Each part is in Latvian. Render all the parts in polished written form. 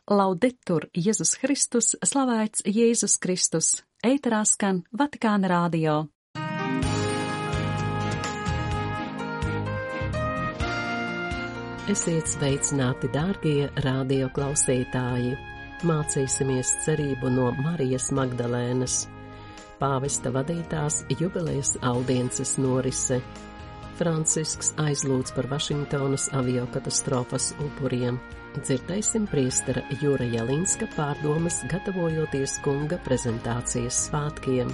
Laudetur Jēzus Kristus, slavēts Jēzus Kristus, ēterā skan Vatikāna radio. Esiet sveicināti, dārgie radio klausītāji! Mācīsimies cerību no Marijas Magdalēnas. Pāvesta vadītās jubilejas audiences norise. Francisks aizlūdz par Vašingtonas aviokatastrofas upuriem. Dzirdēsim priestera Jura Jelinska pārdomas, gatavojoties kunga prezentācijas svētkiem.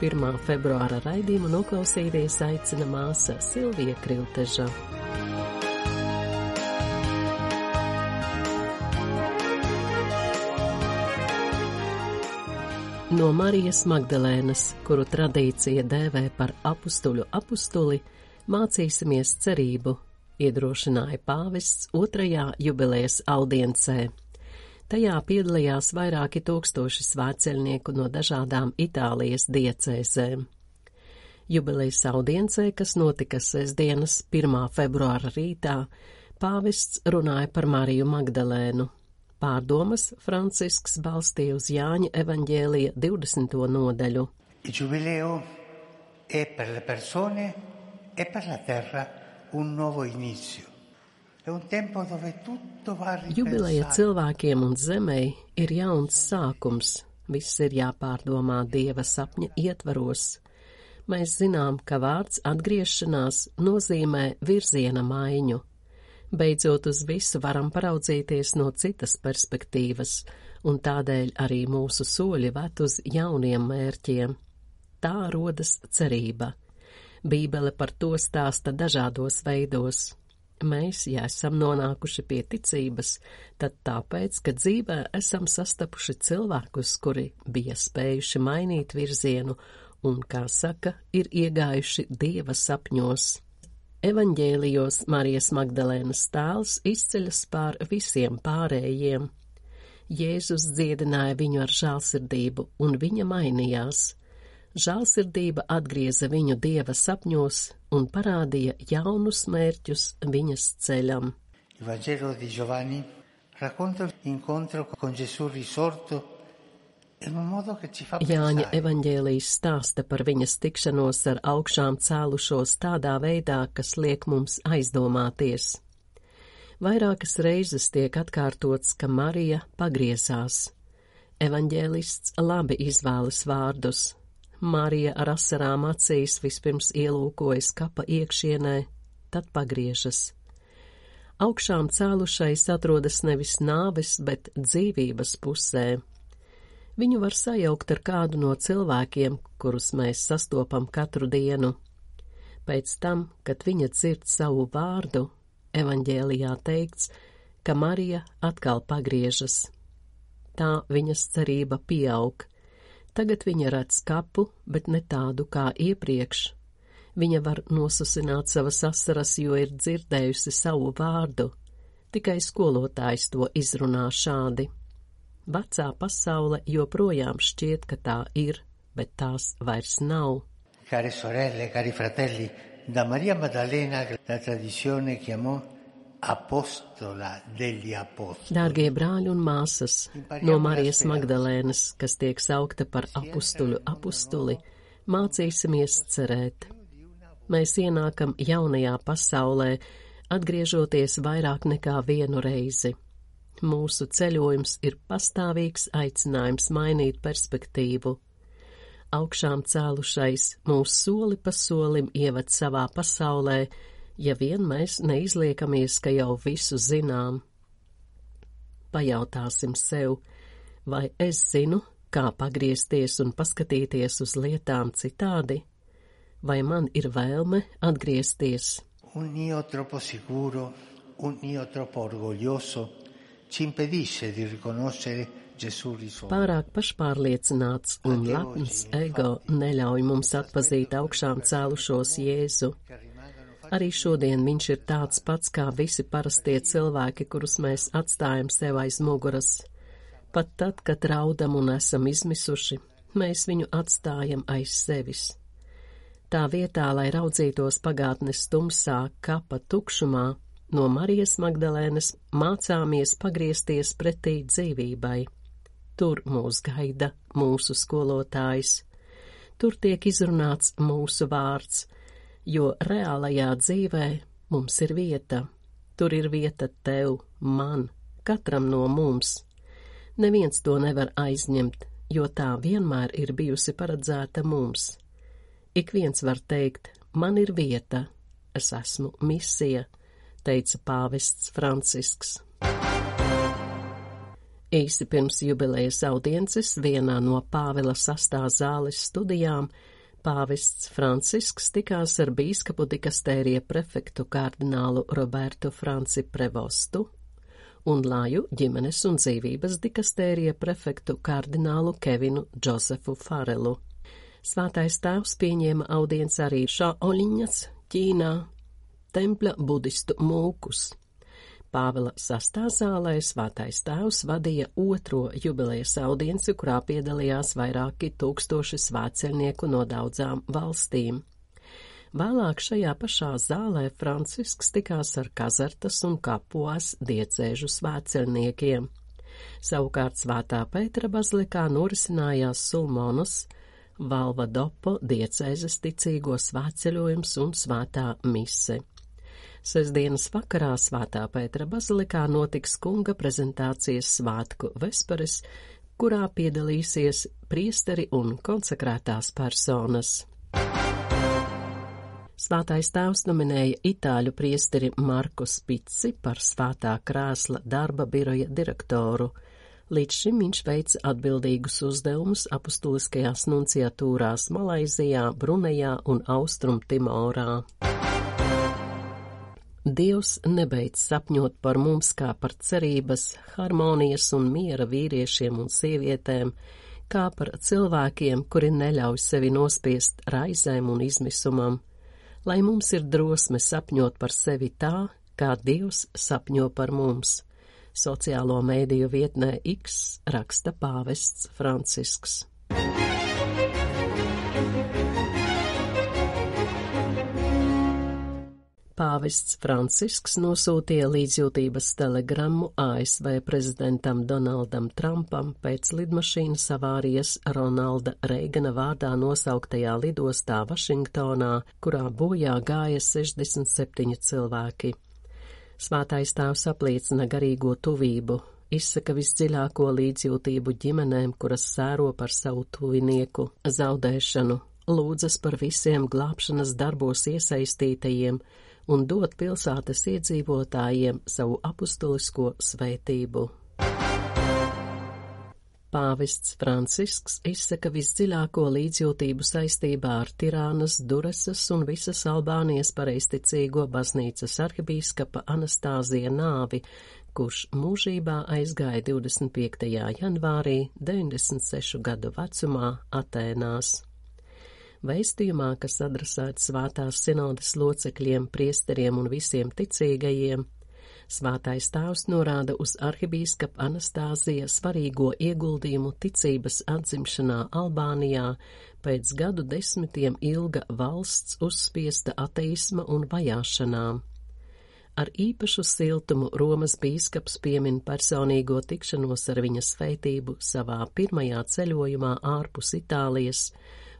1. februāra raidījumu noklausīties aicina māsa Silvija Krilteža. No Marijas Magdalēnas, kuru tradīcija dēvē par apustuļu apustuli, mācīsimies cerību, iedrošināja pāvests 2. jubilejas audiencē. Tajā piedalījās vairāki tūkstoši svētceļnieku no dažādām Itālijas diecēzēm. Jubilejas audiencē, kas notika sestdienas 1. februāra rītā, pāvests runāja par Mariju Magdalēnu. Pārdomas Francisks balstīja uz Jāņa evaņģēlija 20. nodaļu. Il giubileo è per le persone e per la terra un nuovo inizio. È un tempo dove tutto va ripensato. Jubileja cilvēkiem un zemei ir jauns sākums. Viss ir jāpārdomā Dieva sapņa ietvaros. Mēs zinām, ka vārds atgriešanās nozīmē virziena maiņu. Beidzot uz visu varam paraudzīties no citas perspektīvas, un tādēļ arī mūsu soļi ved uz jauniem mērķiem. Tā rodas cerība. Bībele par to stāsta dažādos veidos. Mēs, ja esam nonākuši pie ticības, tad tāpēc, ka dzīvē esam sastapuši cilvēkus, kuri bija spējuši mainīt virzienu un, kā saka, ir iegājuši Dieva sapņos. Evaņģēlijos Marijas Magdalēnas tēls izceļas pār visiem pārējiem. Jēzus dziedināja viņu ar žēlsirdību, un viņa mainījās. Žēlsirdība atgrieza viņu Dieva sapņos un parādīja jaunus mērķus viņas ceļam. Il Vangelo di Giovanni racconta l'incontro con Gesù risorto in un modo che ci fa Jāņa pensare. evaņģēlijs stāsta par viņas tikšanos ar augšām cēlušos tādā veidā, kas liek mums aizdomāties. Vairākas reizes tiek atkārtots, ka Marija pagriezās. Evaņģēlists labi izvēlas vārdus. Marija ar asarām acīs vispirms ielūkojas kapa iekšienē, tad pagriežas. Augšām cēlušais atrodas nevis nāves, bet dzīvības pusē. Viņu var sajaukt ar kādu no cilvēkiem, kurus mēs sastopam katru dienu. Pēc tam, kad viņa dzird savu vārdu, evaņģēlijā teikts, ka Marija atkal pagriežas. Tā viņas cerība pieaug. Tagad viņa redz kapu, bet ne tādu kā iepriekš. Viņa var nosusināt savas asaras, jo ir dzirdējusi savu vārdu. Tikai skolotājs to izrunā šādi. Vecā pasaule joprojām šķiet, ka tā ir, bet tās vairs nav. Care sorelle, cari fratelli, da Maria Maddalena la tradizione chiamò apostola degli apostoli. Dārgie brāļi un māsas, no Marijas Magdalēnas, kas tiek saukta par apustuļu apustuli, mācīsimies cerēt. Mēs ienākam jaunajā pasaulē, atgriežoties vairāk nekā vienu reizi. Mūsu ceļojums ir pastāvīgs aicinājums mainīt perspektīvu. Augšām cēlušais mūs soli pa solim ieved savā pasaulē, ja vien mēs neizliekamies, ka jau visu zinām. Pajautāsim sev, vai es zinu, kā pagriezties un paskatīties uz lietām citādi? Vai man ir vēlme atgriezties? Un io troppo sicuro, un io troppo orgoglioso ci impedisce di riconoscere Gesù risorto. Pārāk pašpārliecināts un lepns ego neļauj mums atpazīt augšām cēlušos Jēzu. Arī šodien viņš ir tāds pats kā visi parastie cilvēki, kurus mēs atstājam sev aiz muguras. Pat tad, kad raudam un esam izmisuši, mēs viņu atstājam aiz sevis. Tā vietā, lai raudzītos pagātnes tumsā, kapa tukšumā, No Marijas Magdalēnas mācāmies pagriezties pretī dzīvībai. Tur mūs gaida mūsu skolotājs. Tur tiek izrunāts mūsu vārds, jo reālajā dzīvē mums ir vieta. Tur ir vieta tev, man, katram no mums. Neviens to nevar aizņemt, jo tā vienmēr ir bijusi paredzēta mums. Ik viens var teikt, man ir vieta, es esmu misija, teica pāvests Francisks. Īsi pirms jubilejas audiences vienā no Pāvila VI zāles studijām pāvests Francisks tikās ar bīskapu dikastērija prefektu kardinālu Robertu Franci Prevostu un Laju ģimenes un dzīvības dikastērija prefektu kardinālu Kevinu Džosefu Farelu. Svētais tēvs pieņēma audienci arī Šaoliņas, Ķīnā, tempļa budistu mūkus. Pāvila VI zālē svētais tēvs vadīja otro jubilejas audienci, kurā piedalījās vairāki tūkstoši svētceļnieku no daudzām valstīm. Vēlāk šajā pašā zālē Francisks tikās ar Kazartas un Kapuas diecēžu svētceļniekiem. Savukārt Svētā Pētera bazilikā norisinājās Sulmonas, Valvadopo diecēzes ticīgo svētceļojums un svētā mise. Sestdienas vakarā Svētā Pētera bazilikā notiks kunga prezentācijas svētku vesperes, kurā piedalīsies priesteri un konsekrētās personas. Svētais tēvs nominēja itāļu priesteri Marku Spici par Svētā krēsla darba biroja direktoru. Līdz šim viņš veic atbildīgus uzdevumus apustuliskajās nunciatūrās Malaizijā, Brunejā un Austrum Timorā. Dievs nebeidz sapņot par mums kā par cerības, harmonijas un miera vīriešiem un sievietēm, kā par cilvēkiem, kuri neļauj sevi nospiest raizēm un izmisumam, lai mums ir drosme sapņot par sevi tā, kā Dievs sapņo par mums. Sociālo mēdīju vietnē X raksta pāvests Francisks. Pāvests Francisks nosūtīja līdzjūtības telegrammu ASV prezidentam Donaldam Trumpam pēc lidmašīnas avārijas Ronalda Reigana vārdā nosauktajā lidostā Vašingtonā, kurā bojā gāja 67 cilvēki. Svētais tēvs apliecina garīgo tuvību, izsaka visdziļāko līdzjūtību ģimenēm, kuras sēro par savu tuvinieku zaudēšanu, lūdzas par visiem glābšanas darbos iesaistītajiem un dod pilsētas iedzīvotājiem savu apustulisko svētību. Pāvests Francisks izsaka visdziļāko līdzjūtību saistībā ar Tirānas, Duresas un visas Albānijas pareizticīgo baznīcas arhibīskapa Anastāzija nāvi, kurš mūžībā aizgāja 25. janvārī 96 gadu vecumā Atēnās. Vēstījumā, kas adresēts Svētās sinodes locekļiem, priesteriem un visiem ticīgajiem, Svētais tēvs norāda uz arhibīskapa Anastāzija svarīgo ieguldījumu ticības atzimšanā Albānijā pēc gadu desmitiem ilga valsts uzspiesta ateisma un vajāšanām. Ar īpašu siltumu Romas bīskaps piemin personīgo tikšanos ar viņa svētību savā pirmajā ceļojumā ārpus Itālijas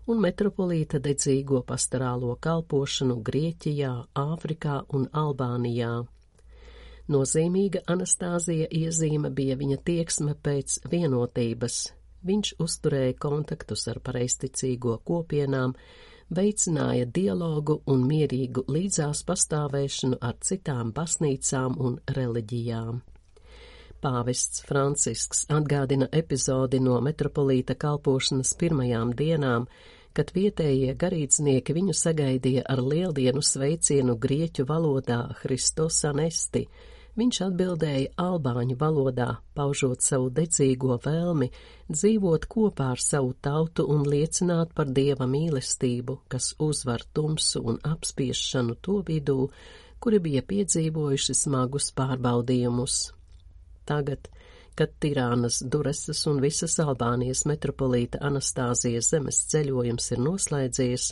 un metropolīta dedzīgo pastorālo kalpošanu Grieķijā, Āfrikā un Albānijā. Nozīmīga Anastāzija iezīme bija viņa tieksme pēc vienotības. Viņš uzturēja kontaktus ar pareizticīgo kopienām, veicināja dialogu un mierīgu līdzās pastāvēšanu ar citām baznīcām un reliģijām. Pāvests Francisks atgādina epizodi no metropolīta kalpošanas pirmajām dienām, kad vietējie garīdznieki viņu sagaidīja ar lieldienu sveicienu grieķu valodā Christos anesti. Viņš atbildēja albāņu valodā, paužot savu dedzīgo vēlmi dzīvot kopā ar savu tautu un liecināt par Dieva mīlestību, kas uzvar tumsu un apspiešanu to vidū, kuri bija piedzīvojuši smagus pārbaudījumus. Tagad, kad Tirānas, Duresas un visas Albānijas metropolīta Anastāzijas zemes ceļojums ir noslēdzies,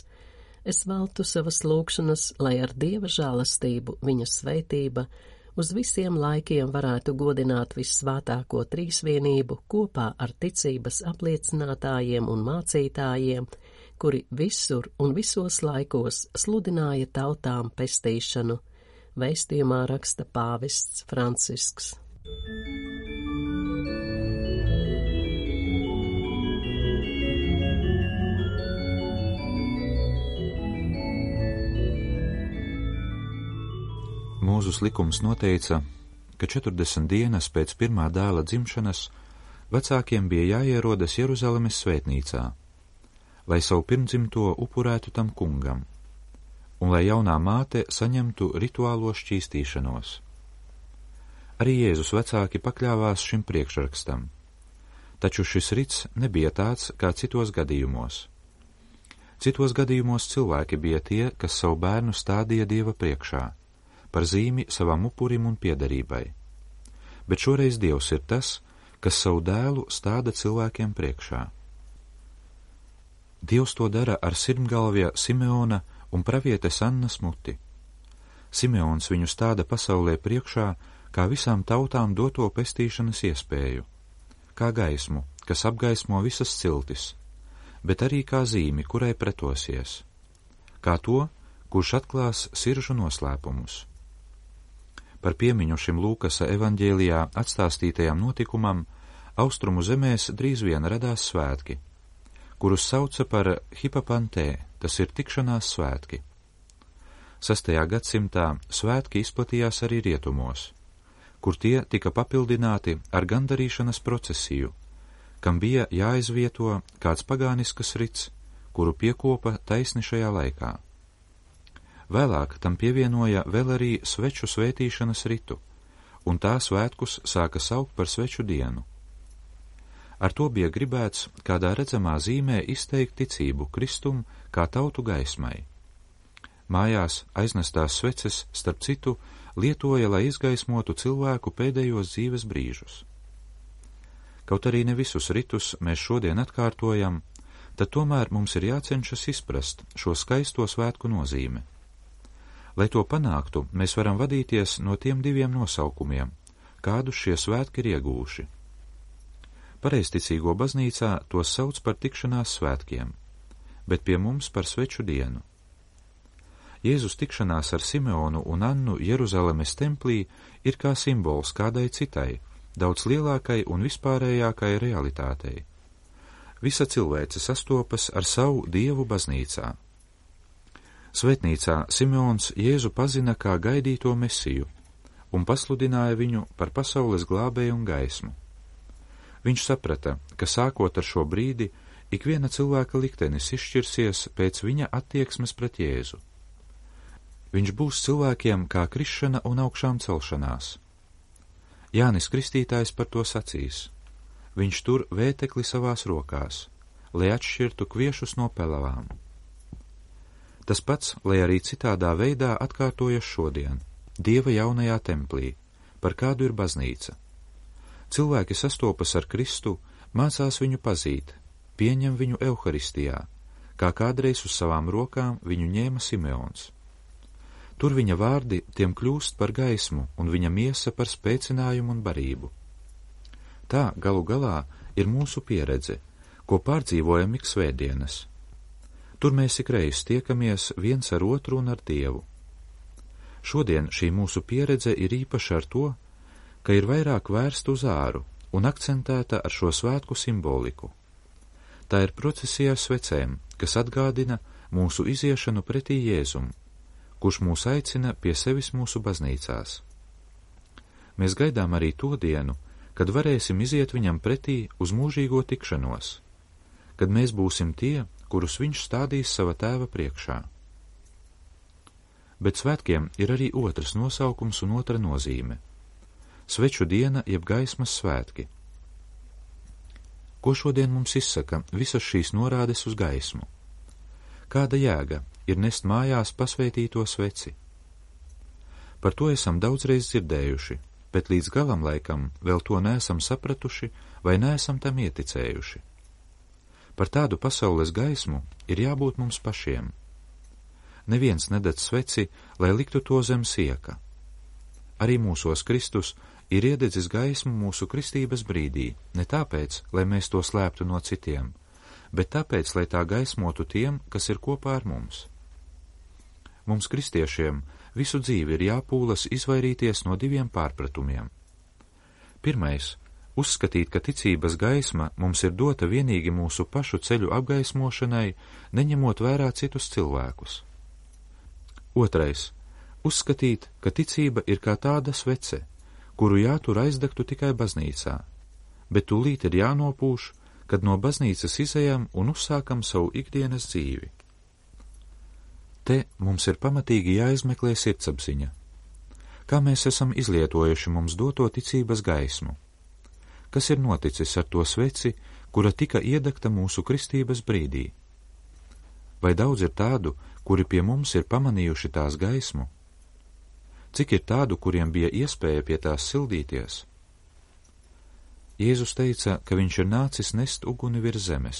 es veltu savas lūgšanas, lai ar Dieva žēlastību viņa svētība uz visiem laikiem varētu godināt vissvētāko trīsvienību kopā ar ticības apliecinātājiem un mācītājiem, kuri visur un visos laikos sludināja tautām pestīšanu, vēstījumā raksta pāvests Francisks. Mūzes likums noteica, ka 40 dienas pēc pirmā dēla dzimšanas vecākiem bija jāierodas Jeruzalemes svētnīcā, lai savu pirmdzimto upurētu tam kungam, un lai jaunā māte saņemtu rituālo šķīstīšanos. Arī Jēzus vecāki pakļāvās šim priekšrakstam, taču šis rits nebija tāds kā citos gadījumos. Citos gadījumos cilvēki bija tie, kas savu bērnu stādīja Dieva priekšā, par zīmi savam upurim un piederībai, bet šoreiz Dievs ir tas, kas savu dēlu stāda cilvēkiem priekšā. Dievs to dara ar sirmgalvja Simeona un pravietes Annas muti. Simeons viņu stāda pasaulē priekšā kā visām tautām doto pestīšanas iespēju, kā gaismu, kas apgaismo visas ciltis, bet arī kā zīmi, kurai pretosies, kā to, kurš atklās siržu noslēpumus. Par piemiņu šim Lūkasa evaņģēlijā atstāstītajam notikumam austrumu zemēs drīz vien radās svētki, kurus sauca par hipapantē, tas ir tikšanās svētki. 6. gadsimtā svētki izplatījās arī rietumos, kur tie tika papildināti ar gandarīšanas procesiju, kam bija jāizvieto kāds pagāniskas rits, kuru piekopa taisni šajā laikā. Vēlāk tam pievienoja vēl arī sveču svētīšanas ritu, un tā svētkus sāka saukt par sveču dienu. Ar to bija gribēts kādā redzamā zīmē izteikt ticību Kristum kā tautu gaismai. Mājās aiznestās sveces, starp citu, lietoja, lai izgaismotu cilvēku pēdējos dzīves brīžus. Kaut arī ne visus ritus mēs šodien atkārtojam, tad tomēr mums ir jācenšas izprast šo skaisto svētku nozīmi. Lai to panāktu, mēs varam vadīties no tiem diviem nosaukumiem, kādus šie svētki ir iegūši. Pareizticīgo baznīcā tos sauc par tikšanās svētkiem, bet pie mums par sveču dienu. Jēzus tikšanās ar Simeonu un Annu Jeruzalemes templī ir kā simbols kādai citai, daudz lielākai un vispārējākai realitātei. Visa cilvēce sastopas ar savu Dievu baznīcā. Svētnīcā Simeons Jēzu pazina kā gaidīto Mesiju un pasludināja viņu par pasaules glābēju un gaismu. Viņš saprata, ka sākot ar šo brīdi, ikviena cilvēka liktenis izšķirsies pēc viņa attieksmes pret Jēzu. Viņš būs cilvēkiem kā krišana un augšām celšanās. Jānis Kristītājs par to sacīs. Viņš tur vētekli savās rokās, lai atšķirtu kviešus no pelavām. Tas pats, lai arī citādā veidā atkārtojas šodien, Dieva jaunajā templī, par kādu ir baznīca. Cilvēki sastopas ar Kristu, mācās viņu pazīt, pieņem viņu Euharistijā, kā kādreiz uz savām rokām viņu ņēma Simeons. Tur viņa vārdi tiem kļūst par gaismu un viņa miesa par spēcinājumu un barību. Tā galu galā ir mūsu pieredze, ko pārdzīvojam ik svētdienas. Tur mēs ikreiz tiekamies viens ar otru un ar Dievu. Šodien šī mūsu pieredze ir īpaša ar to, ka ir vairāk vērsta uz āru un akcentēta ar šo svētku simboliku. Tā ir procesija ar svecēm, kas atgādina mūsu iziešanu pretī Jēzum, kurš mūs aicina pie sevis mūsu baznīcās. Mēs gaidām arī to dienu, kad varēsim iziet viņam pretī uz mūžīgo tikšanos, kad mēs būsim tie, kurus viņš stādīs sava tēva priekšā. Bet svētkiem ir arī otrs nosaukums un otra nozīme – sveču diena jeb gaismas svētki. Ko šodien mums izsaka visas šīs norādes uz gaismu? Kāda jēga ir nest mājās pasvētīto sveci? Par to esam daudzreiz dzirdējuši, bet līdz galam laikam vēl to neesam sapratuši vai neesam tam ieticējuši. Par tādu pasaules gaismu ir jābūt mums pašiem. Neviens nededz sveci, lai liktu to zem sieka. arī mūsos Kristus ir iededzis gaismu mūsu kristības brīdī, ne tāpēc, lai mēs to slēptu no citiem, bet tāpēc, lai tā gaismotu tiem, kas ir kopā ar mums. Mums, kristiešiem, visu dzīvi ir jāpūlas izvairīties no 2 pārpratumiem. Pirmais – uzskatīt, ka ticības gaisma mums ir dota vienīgi mūsu pašu ceļu apgaismošanai, neņemot vērā citus cilvēkus. Otrais – uzskatīt, ka ticība ir kā tāda svece, kuru jātur aizdegtu tikai baznīcā, bet tūlīt ir jānopūš, kad no baznīcas izejam un uzsākam savu ikdienas dzīvi. Te mums ir pamatīgi jāizmeklē sirdsapziņa. Kā mēs esam izlietojuši mums doto ticības gaismu? Kas ir noticis ar to sveci, kura tika iedegta mūsu kristības brīdī? Vai daudz ir tādu, kuri pie mums ir pamanījuši tās gaismu? Cik ir tādu, kuriem bija iespēja pie tās sildīties? Jēzus teica, ka viņš ir nācis nest uguni virs zemes.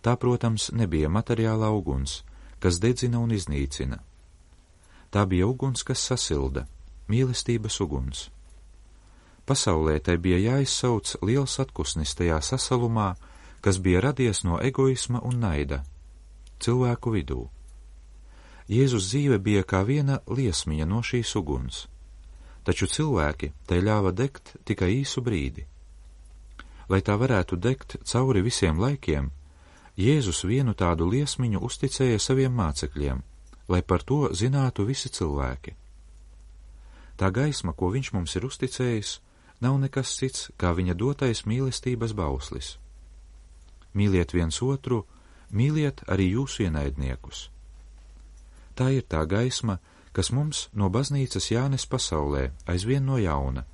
Tā, protams, nebija materiālā uguns, kas dedzina un iznīcina. Tā bija uguns, kas sasilda, mīlestības uguns. Pasaulē tai bija jāizsauc liels atkusnis tajā sasalumā, kas bija radies no egoisma un naida cilvēku vidū. Jēzus dzīve bija kā viena liesmiņa no šīs uguns, taču cilvēki tai ļāva degt tikai īsu brīdi. Lai tā varētu degt cauri visiem laikiem, Jēzus vienu tādu liesmiņu uzticēja saviem mācekļiem, lai par to zinātu visi cilvēki. Tā gaisma, ko viņš mums ir uzticējis, nav nekas cits, kā viņa dotais mīlestības bauslis. Mīliet viens otru, mīliet arī jūsu ienaidniekus. Tā ir tā gaisma, kas mums no baznīcas jānes pasaulē aizvien no jauna,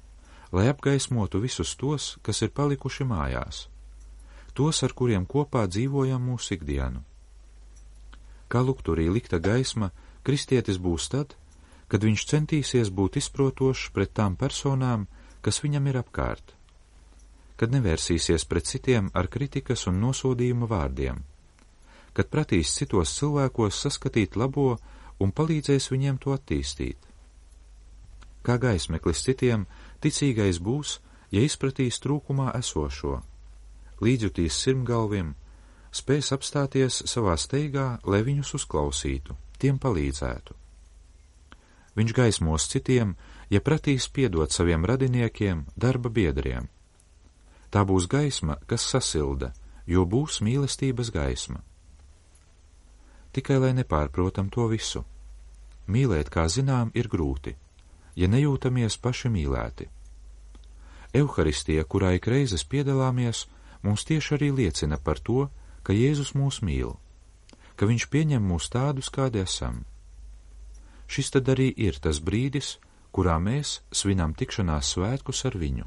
lai apgaismotu visus tos, kas ir palikuši mājās, tos, ar kuriem kopā dzīvojam mūsu ikdienu. Kā lukturī likta gaisma, kristietis būs tad, kad viņš centīsies būt izprotošs pret tām personām, kas viņam ir apkārt, kad nevērsīsies pret citiem ar kritikas un nosodījuma vārdiem, kad pratīs citos cilvēkos saskatīt labo un palīdzēs viņiem to attīstīt. Kā gaismeklis citiem, ticīgais būs, ja izpratīs trūkumā esošo, līdzjutīs sirmgalvim, spēs apstāties savā steigā, lai viņus uzklausītu, tiem palīdzētu. Viņš gaismos citiem, ja pratīs piedot saviem radiniekiem, darba biedriem. Tā būs gaisma, kas sasilda, jo būs mīlestības gaisma. Tikai lai nepārprotam to visu. Mīlēt, kā zinām, ir grūti, ja nejūtamies paši mīlēti. Euharistija, kurā ik reizes piedalāmies, mums tieši arī liecina par to, ka Jēzus mūs mīl, ka viņš pieņem mūs tādus, kādi esam. Šis tad arī ir tas brīdis, kurā mēs svinam tikšanās svētkus ar viņu.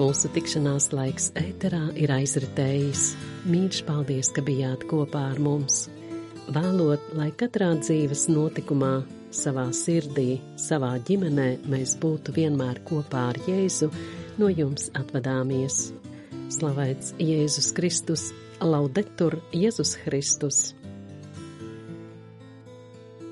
Mūsu tikšanās laiks ēterā ir aizritējis. Mīļš paldies, ka bijāt kopā ar mums. Vēlot, lai katrā dzīves notikumā, savā sirdī, savā ģimenē mēs būtu vienmēr kopā ar Jēzu, no jums atvadāmies. Slavēts Jēzus Kristus, laudetur Jēzus Kristus!